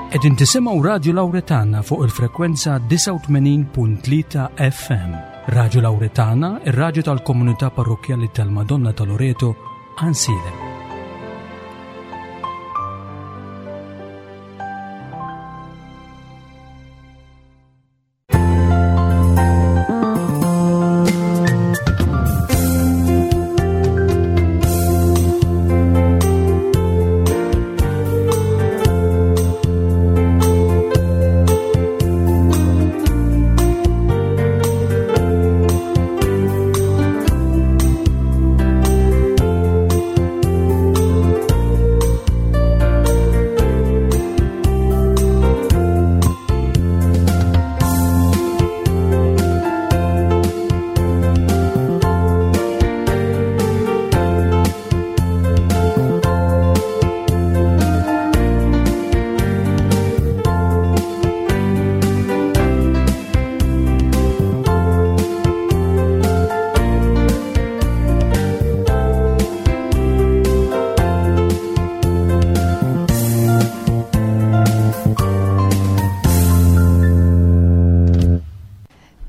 Qegħdin tisimgħu Radju Lawretana fuq il-frekwenza 89.3 FM. Radju Lawretana, ir-radju tal-komunità parrokkjali tal-Madonna ta' Loreto, Ansilem.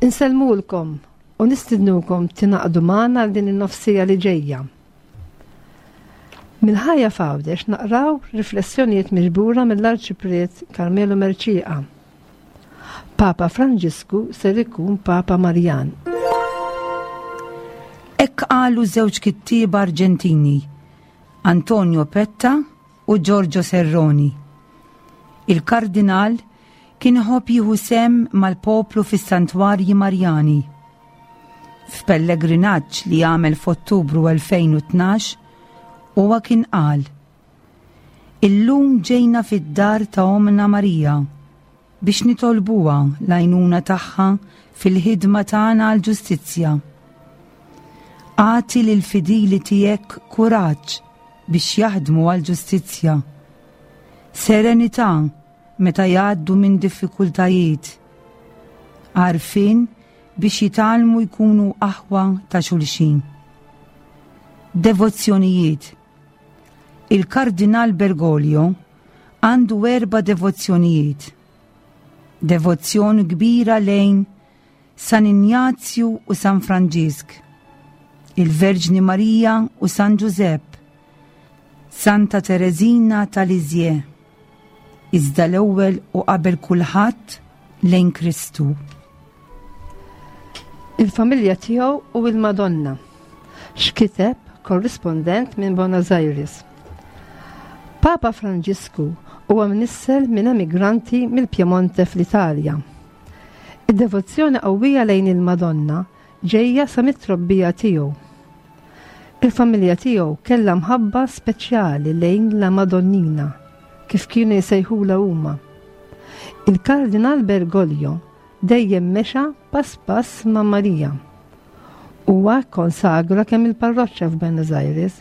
Insellmulkom u nistidnukom tingħaqdu magħna għal din in-nofsija li ġejja. Mill-ħajja f'Għawdex naqraw riflessjonijiet miġbura mill-Arċipriet Carmelo Mercieca. Papa Franġisku ser ikun Papa Marjan. Hekk qalu żewġ kittieba Arġentini, Antonio Petta u Giorgio Serroni. Il-Kardinal kien iħobb jieħu sehem mal-poplu fis-santwarji Marjani. F'pellegrinaġġ li għamel f'Ottubru 2012, huwa kien qal, Illum ġejna fid-dar ta' Ommna Marija biex nitolbuha l-għajnuna tagħha fil-ħidma tagħna għall-ġustizzja. Agħti lill-fidili tiegħek kuraġġ biex jaħdmu għall-ġustizzja. Serenità meta jgħaddu minn diffikultajiet. Għarfien biex jitgħallmu jkunu aħwa ta' xulxin. Devozzjonijiet Il-Kardinal Bergoglio għandu erba' devozzjonijiet. Devozzjoni kbira lejn San Injazju u San Franġisk, il-Verġni Marija u San Ġużepp, Santa Tereżina ta' Lisieux, iżda l-ewwel u qabel kulħadd lejn Kristu. Il-familja tiegħu u il-Madonna. X'kiteb korrispondent minn Buenos Aires. Papa Franġisku huwa mnissel minn emigranti mill-Piemonte fl-Italja. Id-devozzjoni qawwija lejn il-Madonna ġejja sa mit-trobbija tiegħu. Il-familja tiegħu kellha mħabba speċjali lejn La Madonnina, kif kienu jsejħulha huma. Il-Kardinal Bergoglio dejjem mexa pass pass ma' Marija. Huwa kkonsagra kemm il-parroċċa f'Buenos Aires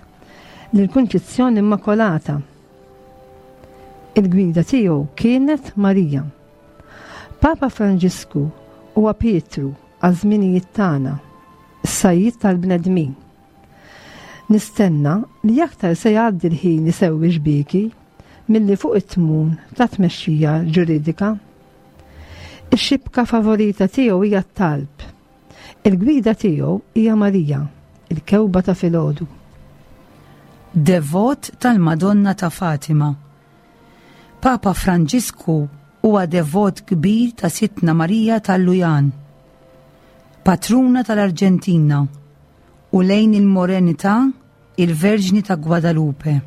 lill-Kunċizzjoni Immakolata. Il-gwida tiegħu kienet Marija. Papa Franġisku huwa Pietru għaż-żminijiet tagħna, is-sajjied tal-bnedmin. Nistenna li aktar se jgħaddi l-ħin isewwi xbieki milli fuq it-tmun ta' tmexxija ġuridika. Ix-xibka favorita tiegħu hija t-talb. Il-gwida tiegħu hija Marija, il-kewba ta' filgħodu. Devot tal-Madonna ta' Fatima. Papa Franġisku huwa devot kbir ta' Sidtna Marija tal-Lujan, patruna tal-Arġentina, u lejn il-Morenità il-Verġni ta' Guadalupe.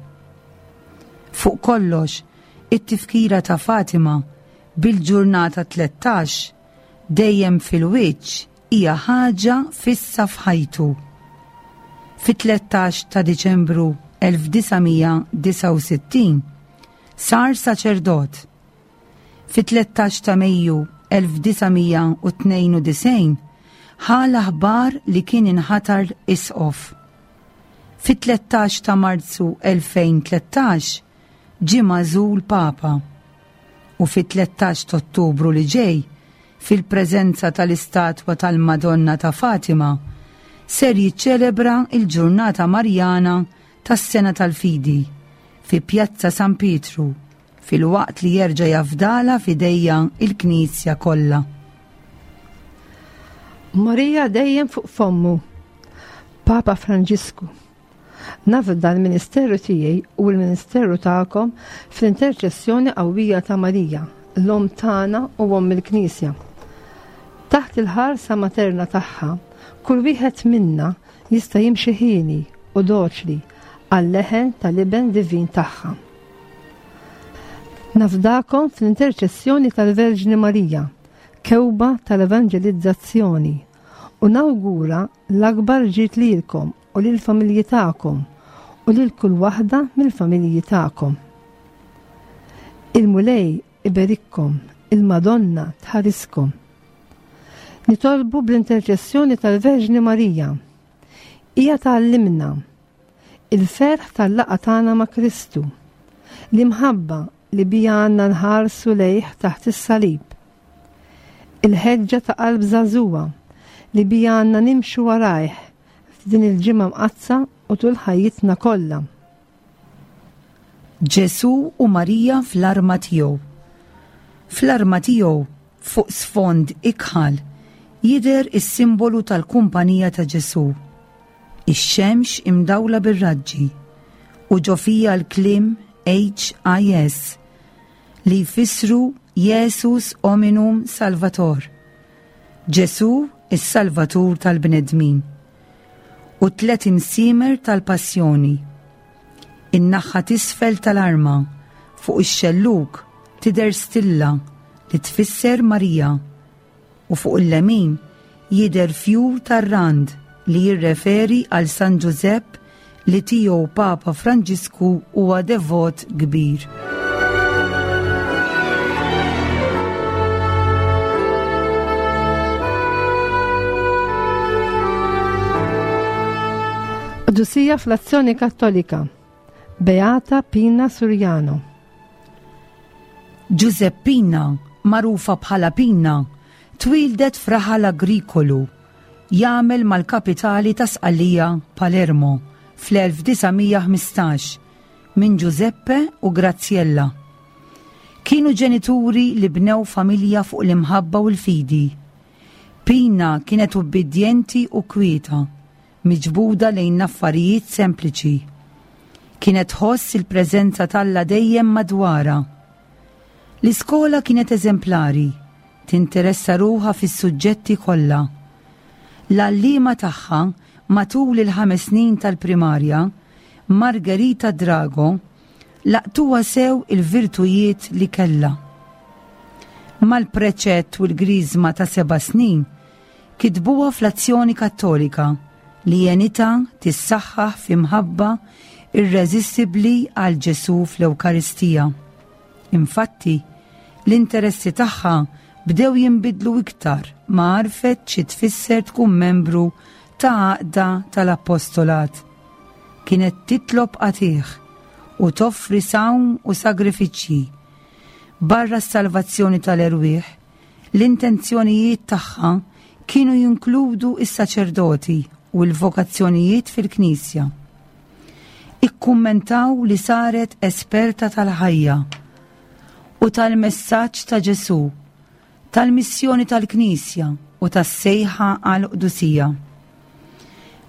Fuq kollox, it-tifkira ta' Fatima bil-ġurnata 13 dejjem fil-wiċċ hija ħaġa fissa f'ħajtu. Fit-13 ta' Diċembru 1969 sar saċerdot. Fit-13 ta' Mejju 1992 ħa l-aħbar li kien inħatar isqof. Fit-13 ta' Marzu 2013 ġie magħżul Papa u fit-13 t'Ottubru li ġej, fil-preżenza tal-istatwa tal-Madonna ta' Fatima, ser jiċċelebra l-Ġurnata Marjana tas-Sena tal-Fidi fi Pjazza San Pietru. filwaqt li jerġa' jafdalha f'idejja l-Knisja kollha. Marija dejjem fuq fommu. Papa Franġisku. Nafda l-ministeru tiegħi u l-ministeru tagħkom fl-interċessjoni qawwija ta' Marija, l-Omm tagħna u Omm il-Knisja. Taħt il-ħarsa materna tagħha, kull wieħed minna jista' jimxi ħieni u doċli għal-leħen tal-Iben Divin tagħha. Nafdakom fl-interċessjoni tal-Verġni Marija, kewba tal-evanġelizzazzjoni, u nawgura l-akbar ġid lilkom u lill-familji tagħkom u lil kull waħda mill-familji tagħkom. Il-Mulej iberikkom, il-Madonna tħariskom. Nitolbu bl-interċessjoni tal-Verġni Marija. Hija tgħallimna il-ferħ tal-laqgħa tagħna ma' Kristu, l-imħabba li bija għandna nħarsu lejh taħt is-salib, il-ħeġġa ta' qalb żagħżugħa li bija għandna nimxu warajh f'din il-ġimgħa mqaddsa u tul ħajjitna kollha. Ġesù u Marija fl-arma tiegħu. Fl-arma tiegħu, fuq sfond ikħal, jidher is-simbolu tal-Kumpanija ta' Ġesù. Ix-xemx imdawla bir-raġġi u ġo fija l-kliem HIS li jfissru Jesus Hominum Salvator, Ġesù is-Salvatur tal-bnedmin, u t-tlet imsiemer tal-Passjoni. In-naħa t'isfel tal-arma, fuq ix-xellug, tidher stilla li tfisser Marija. u fuq il-lemin jidher fjur tar-rand li jirreferi għal San Ġużepp li tiegħu Papa Franġisku huwa devot kbir. Qdusija fl-Azzjoni Kattolika, Beata Pina Suriano. Ġużeppina, magħrufa bħala Pina, twieldet f'raħal agrikolu jagħmel mal-kapitali ta' Sqallija, Palermo, fl-1915 minn Ġużeppe u Graziella. Kienu ġenituri li bnew familja fuq l-imħabba u l-fidi. Pina kienet ubbidjenti u kwieta, miġbuda lejn l-affarijiet sempliċi. Kienet tħoss il-preżenza t'Alla dejjem madwarha. L-iskola kienet eżemplari, tinteressa ruħha fis-suġġetti kollha. L-għalliema tagħha matul il-ħames snin tal-primarja, Margherita Drago, laqtuha sew il-virtujiet li kellha. Mal-preċett u l-griżma ta' seba' snin, Kitbuha fl-Azzjoni Kattolika li għenitha tissaħħaħ fi mħabba irreżistibbli għal Ġesù fl-Ewkaristija. Infatti, l-interessi tagħha bdew jinbidlu iktar ma għarfet xi tfisser tkun membru ta' għaqda tal-appostolat. Kienet titlob qatigħ u toffri sawm u sagrifiċċji. Barra s-salvazzjoni tal-erwieħ, L-intenzjonijiet tagħha kienu jinkludu s-saċerdoti u l-vokazzjonijiet fil-Knisja. Ikkummentaw li saret esperta tal-ħajja u tal-messaġġ ta' Ġesù, tal-missjoni tal-Knisja u tas-sejħa għall-qdusija.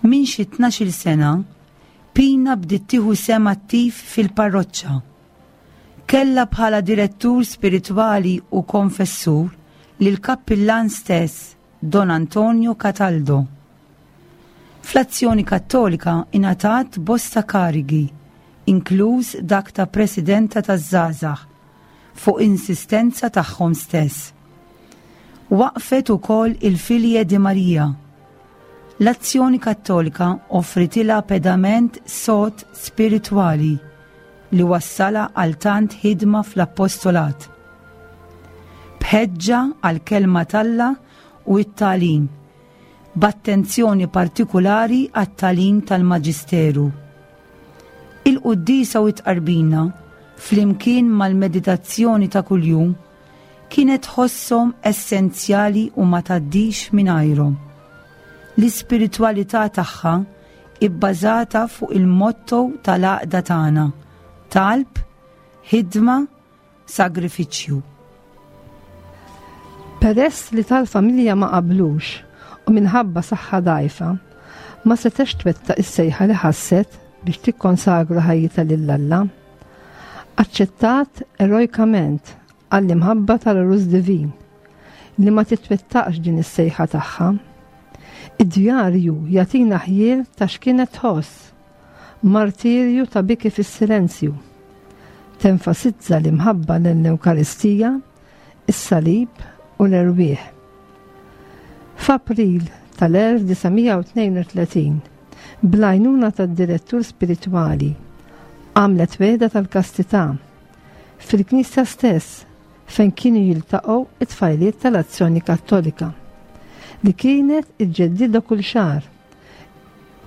Minn xi tnax-il sena, Pina bdiet tieħu sehem attiv fil-parroċċa. Kellha bħala direttur spiritwali u konfessur lill-kappillan stess, Don Antonio Cataldo. Fl-Azzjoni Kattolika ingħatat bosta karigi, inkluż dak ta' Presidenta taż-Żgħażagħ, fuq insistenza tagħhom stess. Waqqfet ukoll il-Figlie di Maria. L-Azzjoni Kattolika offritilha pedament sod spiritwali li wassalha għal tant ħidma fl-appostolat. B'ħeġġa għall-Kelma t'Alla u t-tagħlim, b'attenzjoni partikulari għat-tagħlim tal-Maġisteru. Il-quddiesa u t-tqarbina, flimkien mal-meditazzjoni ta' kuljum, kienet tħosshom essenzjali u ma tgħaddix mingħajrhom. L-ispiritwalità tagħha ibbażata fuq il-motto tal-għaqda tagħna, talb, ħidma, sagrifiċċju. Peress li tal-familja ma qablux u minħabba saħħa dgħajfa, ma setgħetx twettaq is-sejħa li ħasset biex tikkonsagra ħajjitha lil Alla. Aċċettat erojkament għall-imħabba tal-Għarus Divin li ma titwettaqx din is-sejħa tagħha. Id-djarju jagħtina ħjiel ta' x'kienet tħoss, martirju ta' biki fis-silenzju. Tenfasizza l-imħabba lejn l-Ewkaristija, is-Salib u l-erwieħ. F'April tal-1932, bl-għajnuna tad-direttur spiritwali, għamlet wegħda tal-kastità fil-knisja stess fejn kienu jiltaqgħu it-tfajliet tal-Azzjoni Kattolika, li kienet iġġeddidha kull xahar.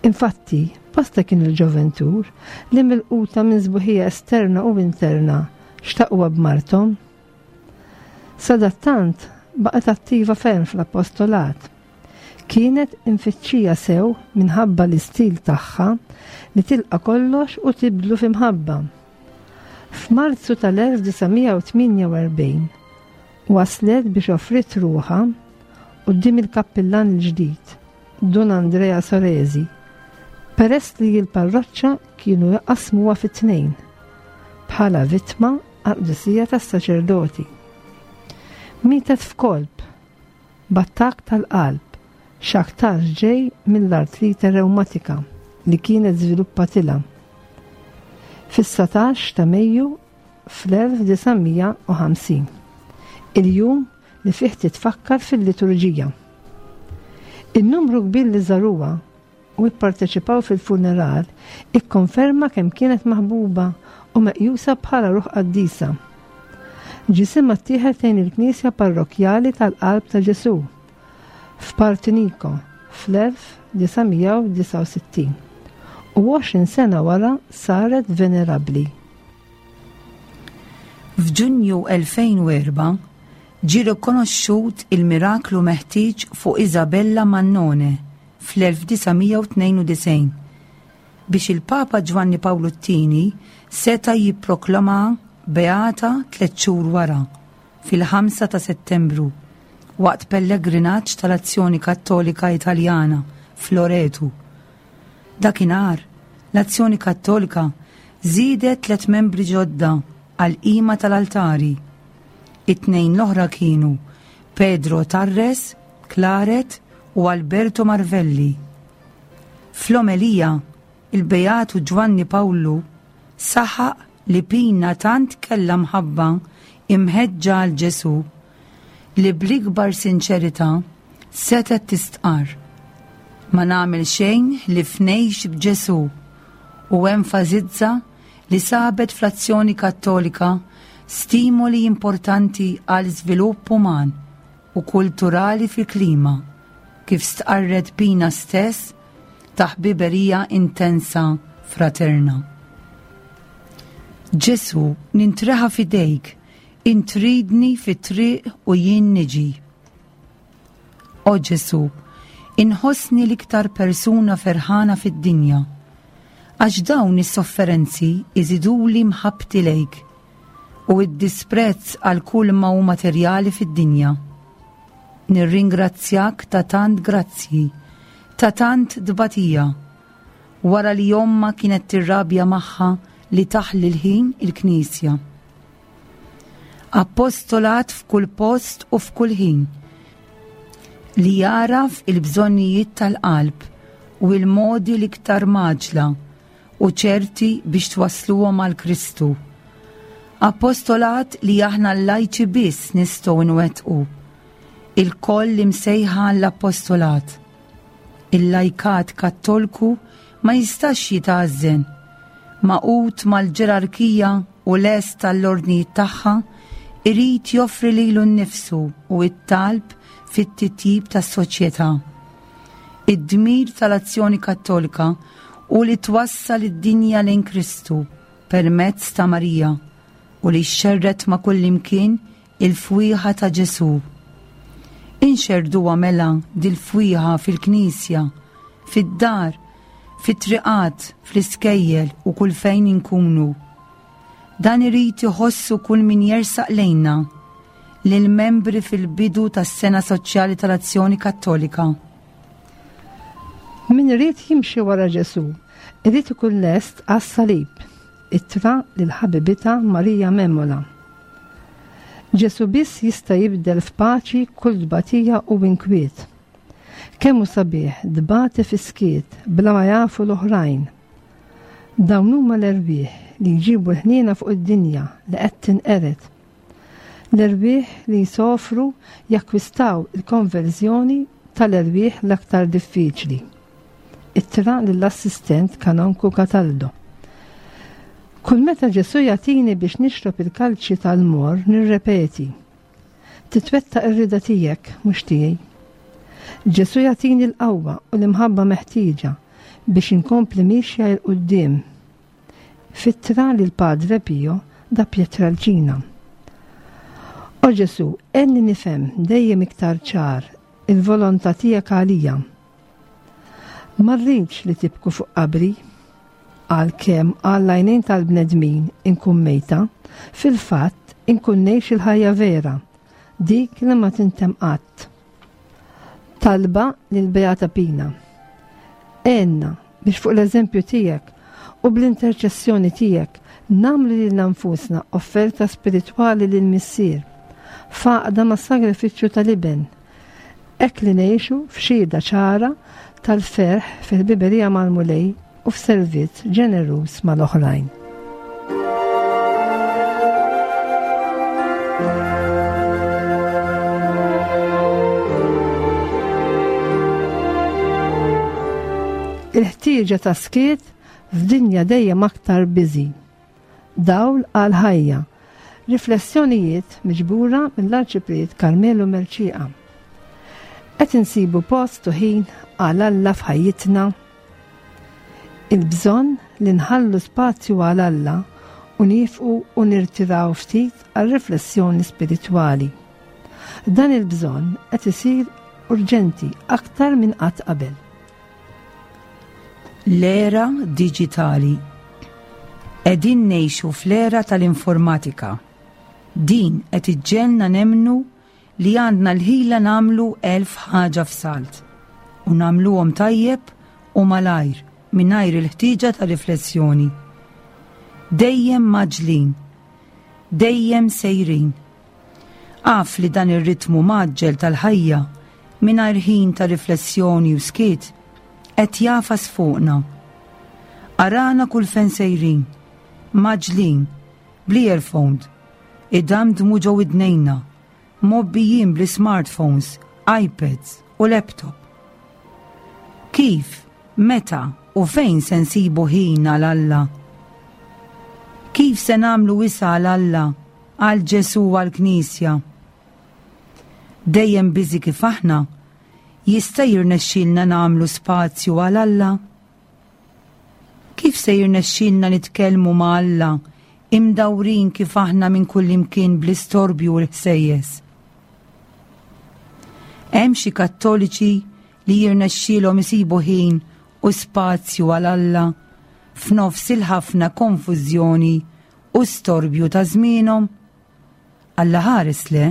Infatti, bosta kienu l-ġoventur li milquta minn sbuħija esterna u interna xtaquha b'marthom. Sadattant baqgħet attiva ferm fl-appostolat. Kienet imfittxija sew minħabba l-istil tagħha li tilqa' kollox u tibdlu fi mħabba. F'Marzu tal-1948 waslet biex offriet ruħha quddiem il-kappillan il-ġdid, Dun Andrea Soresi, peress li l-parroċċa kienu jqassmuha fi tnejn, bħala vittma għall-qdusija tas-saċerdoti. Mietet f'kolp, b'attakk tal-qalb, x'aktarx ġej mill-artrite rewmatika li kienet żviluppatilha. Fis-19 ta' Mejju fl-1950, il-jum li fih titfakkar fil-liturġija. In-numru kbir li żaruha u pparteċipaw fil-funeral ikkonferma kemm kienet maħbuba u meqjusa bħala ruħ qaddisa. Ġisimha ttieħed lejn il-Knisja Parrokkjali tal-Qalb ta' Ġesù f'Partinico fl-1969 u 20 sena wara saret venerabbli. F'Ġunju 2004 ġie rikonoxxut il-miraklu meħtieġ fuq Isabella Mannone fl-1992 biex il-Papa Ġwanni Pawlu t-Tieni seta' jipproklamaha beata tlett xhur wara, fil-5 ta' Settembru, waqt pellegrinaġġ tal-Azzjoni Kattolika Italjana f'Loretu. Dakinhar, l-Azzjoni Kattolika żiedet tlett membri ġodda għall-qima tal-altari. It-tnejn l-oħra kienu Pedro Tarres Claret u Alberto Marvelli. Fl-omelija, il-Beatu Ġwanni Pawlu saħaq li Pina tant kellha mħabba imħeġġa għal Ġesù li bl-ikbar sinċerità setgħet tistqarr, Ma nagħmel xejn ħlief ngħix b'Ġesù u enfasizza li sabet fl-Azzjoni Kattolika stimoli importanti għal żvilupp uman u kulturali fil-klima, kif stqarret Pina stess, ta' ħbiberija intensa fraterna. Ġesù, nintreħa f'idejk, int tridni fit-triq u jien niġi. O Ġesù, inħossni l-iktar persuna ferħana fid-dinja, għax dawn is-sofferenzi jżiduli mħabbti lejk u d-disprezz għal kull ma hu materjali fid-dinja. Nirringrazzjak ta' tant grazzji, ta' tant tbatija, wara li ommha kienet tirrabja magħha li taħli l-ħin il-knisja. Appostolat f'kull post u f'kull ħin, li jagħraf il-bżonnijiet tal-qalb u l-modi l-iktar mgħaġġla u ċerti biex twassluhom għal Kristu. Appostolat li aħna l-lajċi biss nistgħu nwettqu. Ilkoll imsejħa għall-appostolat. Il-lajkat kattolku ma jistax jitgħażżen. Magħqud mal-ġerarkija u lest għall-ordnijiet tagħha, irid joffri lilu nnifsu u t-talb fit-titjib tas-soċjetà. Id-dmir tal-Azzjoni Kattolika hu li twassal id-dinja lejn Kristu permezz ta' Marija u li xxerred ma' kullimkien il-fwieħa ta' Ġesù. Inxerrduha mela dil-fwieħa fil-knisja, fid-dar, fit-triqat, fl-iskejjel u kull fejn inkunu. Dan irid iħossu kull min jersaq lejna, lill-membri fil-bidu tas-Sena Soċjali tal-Azzjoni Kattolika. Min irid jimxi wara Ġesù, irid ikun lest għas-salib. Ittra lil ħabibitha Marija Memola. Ġesù biss jista' jibdel f'paċi kull tbatija u inkwiet. Kemm hu sabiħ tbati fis-skiet bla ma jafu l-oħrajn. Dawn huma l-erwieħ li jġibu l-ħniena fuq id-dinja li qed tinqered. L-erwieħ li jsofru jakkwistaw il-konverżjoni tal-erwieħ l-aktar diffiċli. Ittra lill-assistent Kanonku Cataldo. Kull meta Ġesù jagħtini biex nixrob il-kalċi tal-morr nirrepeti, Titwettaq ir-rieda tiegħek, mhux tiegħi. Ġesù jagħtini l-qawwa u l-imħabba meħtieġa biex inkompli miexja 'l quddiem. F'ittra lil Padre Pio da Pietrelcina. O Ġesù, għenni nifhem dejjem iktar ċar il-volontà tiegħek għalija. Ma rridx li tibku fuq qabri, għalkemm għall-għajnejn tal-bnedmin inkun mejta, fil-fatt inkun ngħix il-ħajja vera, dik li ma tintemm qatt. Talba lil Beata Pina. Għenna biex fuq l-eżempju tiegħek u bl-interċessjoni tiegħek nagħmlu lilna nfusna offerta spiritwali lill-Missier, f'għaqda mas-sagrifiċċju tal-Iben, Hekk li ngħixu f'xhieda ċara tal-ferħ fil-ħbiberija mal-Mulej u f'servizz ġeneruż mal-oħrajn. Il-ħtieġa ta' skiet f'dinja dejjem aktar busy. Dawl għall-ħajja. Riflessjonijiet miġbura mill-Arċipriet Carmelo Mercieca. Qed insibu post u ħin għal Alla f'ħajjitna? Il-bżonn li nħallu spazju għal Alla u niefqu u nirtiraw ftit għal riflessjoni spiritwali. Dan il-bżonn qed isir urġenti aktar minn qatt qabel. L-era diġitali. Qegħdin ngħixu fl-era tal-informatika. Din qed iġġegħelna nemmnu li għandna l-ħila nagħmlu elf ħaġa f'salt u nagħmluhom tajjeb u malajr mingħajr il-ħtieġa ta' riflessjoni. Dejjem mgħaġġlin. Dejjem sejrin. Af li dan ir-ritmu mgħaġġel tal-ħajja mingħajr ħin ta' riflessjoni u skiet qed jagħfas fuqna. Arana kull fejn sejrin, mgħaġġlin, bl-earphone, idamdmu ġo widnejna, mgħobbijin bl-ismartphones, iPads u laptop. Kif, meta u fejn se nsibu ħin għal Alla? Kif se nagħmlu wisa' għal Alla, għal Ġesù u għall-Knisja? Dejjem busy kif aħna, jista' jirnexxilna nagħmlu spazju għal Alla? Kif se jirnexxilna nitkellmu ma' Alla imdawrin kif aħna minn kullimkien bl-istorbju u l-ħsejjes? Hemm xi Kattoliċi li jirnexxielhom isibu ħin u spazju għal Alla f'nofs il-ħafna konfużjoni u storbju ta' żmienhom? Alla ħares le.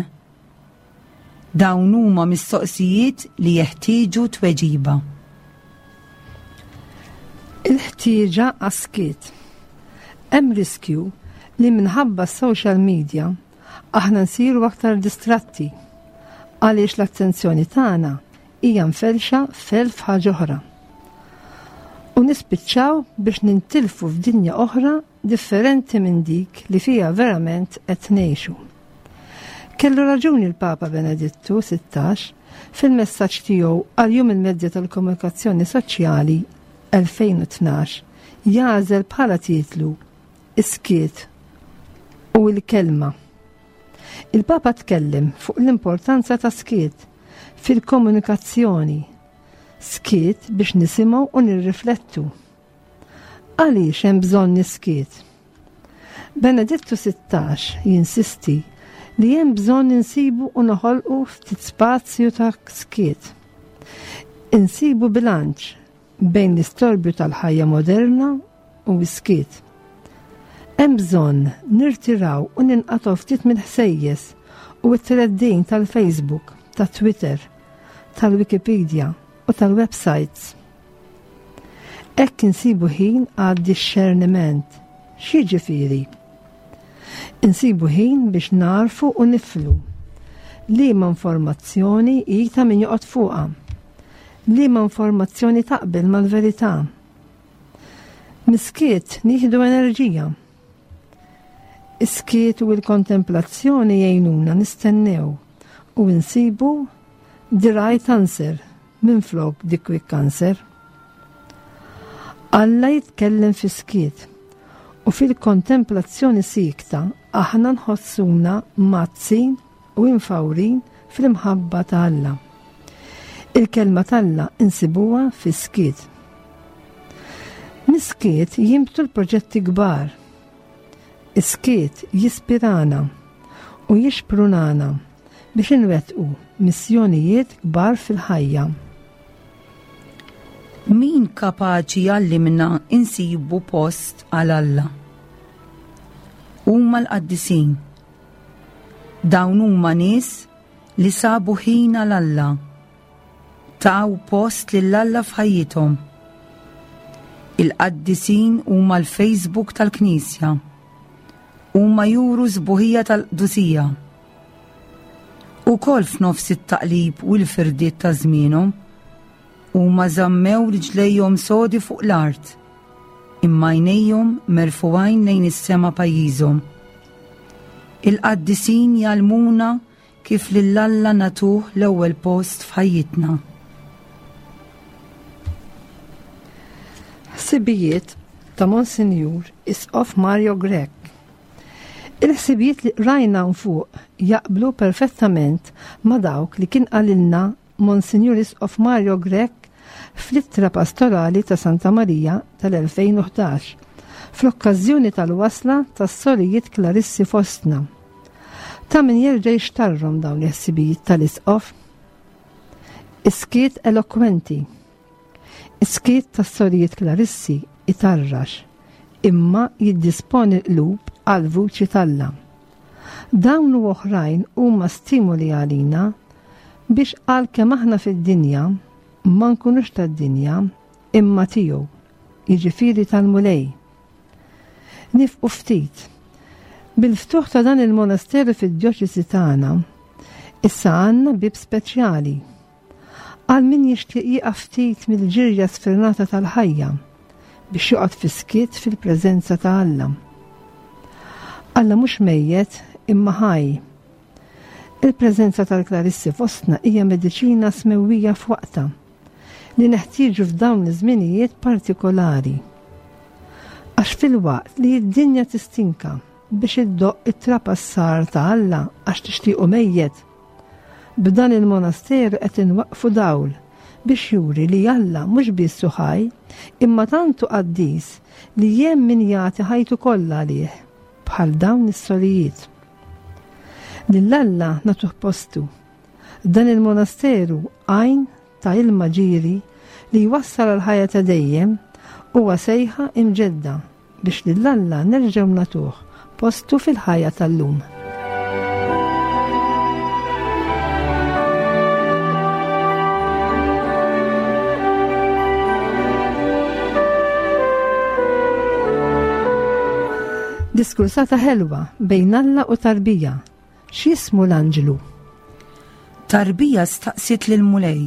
Dawn huma mistoqsijiet li jeħtieġu tweġiba. Il-ħtieġa għas-skiet. Hemm riskju li minħabba s-social media aħna nsiru aktar distratti għaliex l-attenzjoni tagħna hija mferrxa f'elf ħaġa oħra. U nispiċċaw biex nintilfu f'dinja oħra differenti minn dik li fiha verament qed ngħixu. Kellu raġuni l-Papa Benedittu 16 fil-messaġġ tiegħu għal Jum il-Mezzi tal-Komunikazzjoni Soċjali 2012 jagħżel bħala titlu Is-skiet u l-kelma. Il-Papa tkellem fuq l-importanza ta' skiet fil-komunikazzjoni, skiet biex nisimgħu u nirriflettu. Għaliex hemm bżonn is-skiet? Benedittu 16 jinsisti li hemm bżonn insibu u noħolqu ftit spazju ta' skiet. Insibu bilanċ bejn l-istorbju tal-ħajja moderna u s-skiet. Hemm bżonn nirtiraw u ninqatgħu ftit mill-ħsejjes u t-treddin tal-Facebook, tat-Twitter, tal-Wikipedia u tal-websites. Hekk insibu ħin għad-dixxerniment. X'jiġifieri? Insibu ħin biex nagħrfu u niflu liema informazzjoni hi ta' min joqgħod fuqha, liema informazzjoni taqbel mal-verità. Miskiet nieħdu enerġija. Is-skiet u l-kontemplazzjoni jgħinuna nistennew u nsibu the right answer minflok the quick answer. Alla jitkellem fis-skiet u fil-kontemplazzjoni siekta aħna nħossuna mgħaddsin u imfawrin fl-imħabba ta' Alla. Il-kelma t'Alla insibuha fis-skiet. Mis-skiet jinbtu l-proġetti kbar. Is-skiet jispirana u jixprunana biex inwettqu missjonijiet kbar fil-ħajja. Min kapaċi jgħallimna insibu post għal Alla? Huma l-qaddisin. Dawn huma nies li sabu ħin għal Alla. Taw post lil Alla f'ħajjithom. Il-qaddisin huma l-Facebook tal-Knisja. Huma juru sbuħija tal-qdusija. Ukoll f'nofs it-taqlib u l-firdiet ta' żmienhom, huma żammew riġlejhom sodi fuq l-art, imma għajnejhom merfugħin lejn is-sema pajjiżhom. Il-qaddisin jgħallmuna kif lil Alla nagħtuh l-ewwel post f'ħajjitna. Ħsibijiet ta' Monsinjur Isqof Mario Grech. Il-ħsibijiet li qrajna hawn fuq jaqblu perfettament ma' dawk li kien qalilna Monsinjur Isqof Mario Grech fl-Ittra Pastorali ta' Santa Marija tal-2011, fl-okkażjoni tal-wasla tas-Sorijiet Klarissi fostna. Ta' min jerġa' jixtarrhom dawn il-ħsibijiet tal-Isqof. Is-skiet elokwenti. Is-skiet tas-Sorijiet Klarissi itarrax, imma jiddisponi l-qlub għall-vuċi t'Alla. Dawn u oħrajn huma stimoli għalina biex għalkemm aħna fid-dinja, ma nkunux tad-dinja, imma tiegħu, jiġifieri tal-Mulej. Nifqu ftit. Bil-ftuħ ta' dan il-monasteru fid-djoċesi tagħna, issa għandna bieb speċjali. Għal min jixtieq jieqaf ftit mill-ġirja sfrenata tal-ħajja biex joqgħod fis-skiet fil-preżenza ta' Alla. Alla mhux mejjet imma ħaj. Il-preżenza tal-Klarissi fostna hija mediċina smewwija f'waqtha li neħtieġu f'dawn iż-żminijiet partikolari. Għax filwaqt li d-dinja tistinka biex iddoqq it-trapassar ta' Alla għax tixtiequ mejjet, B'dan il-monasteru qed inwaqqfu dawl biex juri li Alla mhux biss hu ħaj, imma tant hu qaddis li hemm min jagħti ħajtu kollha għalih, bħal dawn is-sorijiet. Lil Alla nagħtuh postu. Dan il-monasteru għajn ta' ilma ġieri li jwassal għall-ħajja ta' dejjem huwa sejħa imġedda biex lil Alla nerġgħu nagħtuh postu fil-ħajja tal-lum. Diskursata ħelwa bejn Alla u tarbija. X'jismu l-anġlu? Tarbija staqsiet lill-Mulej.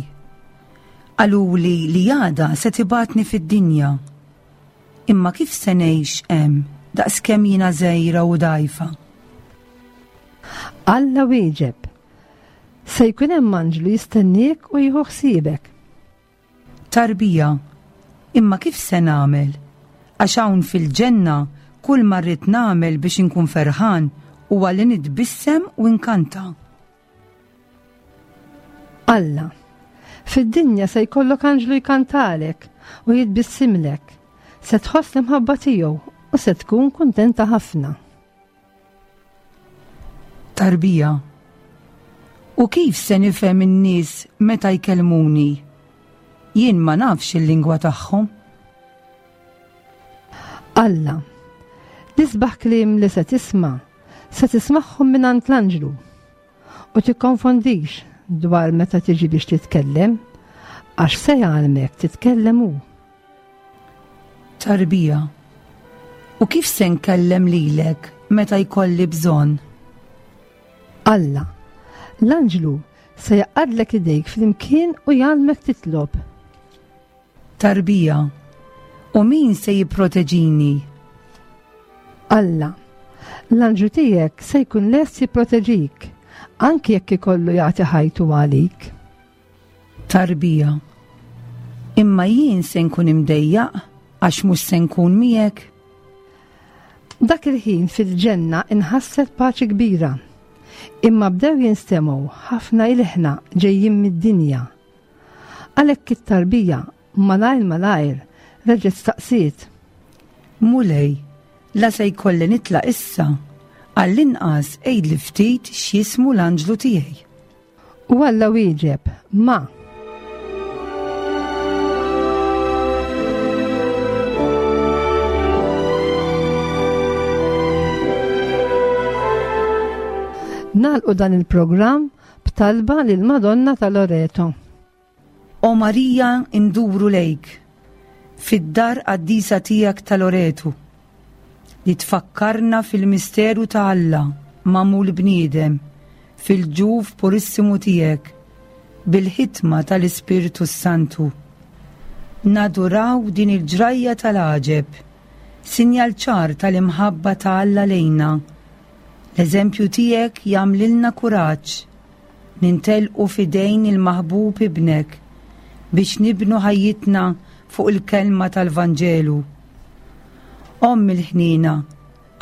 Qaluli li għada se tibgħatni fid-dinja. Imma kif se ngħix hemm daqskemm jiena żgħira u dgħajfa? Alla wieġeb, Se jkun hemm anġlu jistenniek u jieħu ħsiebek. Tarbija, Imma kif se nagħmel? Għax hawn fil-ġenna kull ma rrid nagħmel biex inkun ferħan huwa li nitbissem u nkanta. Alla. Fid-dinja se jkollok anġlu jkantalek u jitbissimlek. Se tħoss l-imħabba tiegħu u se tkun kuntenta ħafna. Tarbija. U kif se nifhem in-nies meta jkellmuni? Jien ma nafx il-lingwa tagħhom. Alla. L-isbaħ kliem li se tisma' se tismagħhom mingħand l-anġlu. U tikkonfondix dwar meta tiġi biex titkellem, għax se jgħallmek titkellem hu. Tarbija. U kif se nkellem lilek meta jkolli bżonn? Alla, l-anġlu se jaqadlek idejk flimkien u jgħallmek titlob. Tarbija. U min se jipproteġini? Alla, l-anġlu tiegħek se jkun lest jipproteġik, anki jekk ikollu jagħti ħajtu għalik. Tarbija. Imma jien se nkun imdejjaq għax mhux se nkun miegħek. Dak il-ħin fil-ġenna inħasset paċi kbira. Imma bdew jinstemgħu ħafna ilħna ġejjin mid-dinja. Għalhekk it-tarbija malajr malajr reġgħet staqsiet. Mulej, la se jkolli nitlaq issa, għall-inqas għidli ftit x'jismu l-anġlu tiegħi. U Alla wieġeb, Ma. Nagħlqu dan il-programm b'talba lil Madonna ta' Loreto. O Marija nduru lejk, fid-dar qaddisa tiegħek ta' Loretu, li tfakkarna fil-misteru ta' Alla magħmul bniedem fil-ġuf purissimu tiegħek bil-ħitma tal-Ispirtu s-Santu. Naduraw din il-ġrajja tal-għaġeb, sinjal ċar tal-imħabba ta' Alla lejna. L-eżempju tiegħek jagħmlilna kuraġġ Nintelqu f'idejn il-maħbub Ibnek biex nibnu ħajjitna fuq il-kelma tal-Vanġelu. Omm il-ħniena,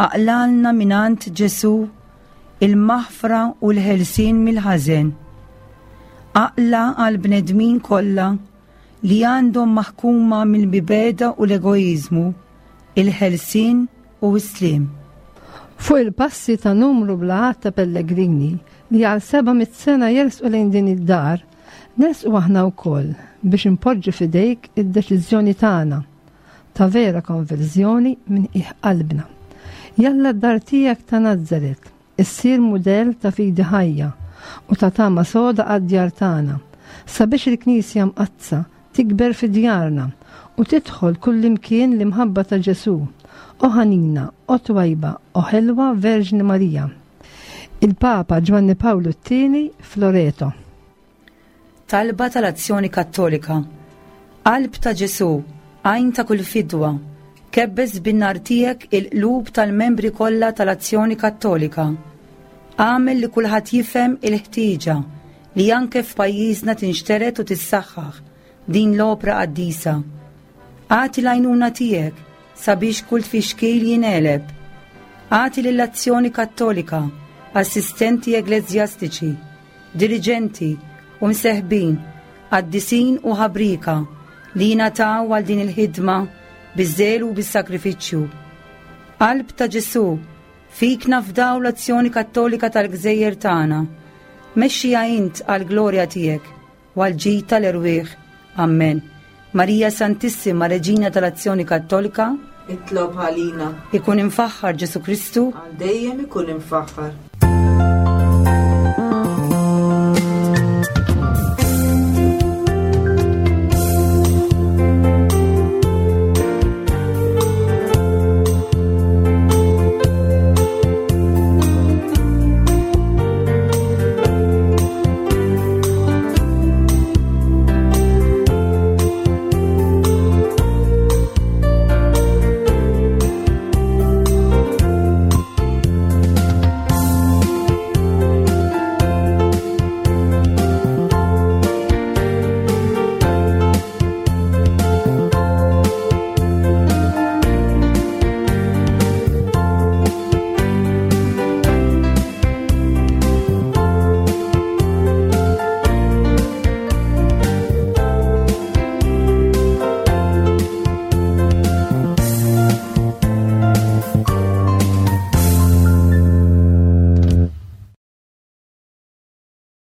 aqlalna mingħand Ġesù il-maħfra u l-ħelsien mill-ħażen. Aqla għall-bnedmin kollha li għandhom maħkuma mill-mibegħda u l-egoiżmu, il-ħelsien u s-sliem. Fuq il-passi ta' numru bla għadd ta' pellegrini li għal 700 sena jersqu lejn din id-dar, nersqu aħna wkoll biex inpoġġu f'idejk id-deċiżjoni tagħna ta' vera konverżjoni minn qiegħ qalbna. Jalla d-dar tiegħek ta' Nazaret issir mudell ta' fidi ħajja u ta' tama soda għad-djar tagħna, sabiex il-Knisja Mqaddsa tikber fi djarna u tidħol kullimkien l-imħabba ta' Ġesù. O ħanina, o twajba, o ħelwa Verġni Marija. Il-Papa Ġwanni Pawlu t-Tieni f'Loreto. Talba tal-Azzjoni Kattolika. Qalb ta' Ġesù, għajn ta' kull fidwa, kebbes bin-nar tiegħek il-qlub tal-membri kollha tal-Azzjoni Kattolika. Agħmel li kulħadd jifhem il-ħtieġa li anke f'pajjiżna tinxtered u tissaħħaħ din l-opra qaddisa. Agħti l-għajnuna tiegħek sabiex kull tfixkil jingħeleb. Agħti lill-Azzjoni Kattolika assistenti eglezjastiċi, diriġenti u mseħbin, qaddisin u ħabrieka li jingħataw għal din il-ħidma biż-żelu u bis-sagrifiċċju. Qalb ta' Ġesù, fik nafdaw l-azzjoni kattolika tal-gżejjer tagħna. Mexxiha int għall-glorja tiegħek u għall-ġid tal-erwieħ. Ammen. Marija Santissima, Reġina tal-Azzjoni Kattolika, Itlob għalina. Ikun imfaħħar Ġesù Kristu. Għal dejjem ikun imfaħħar.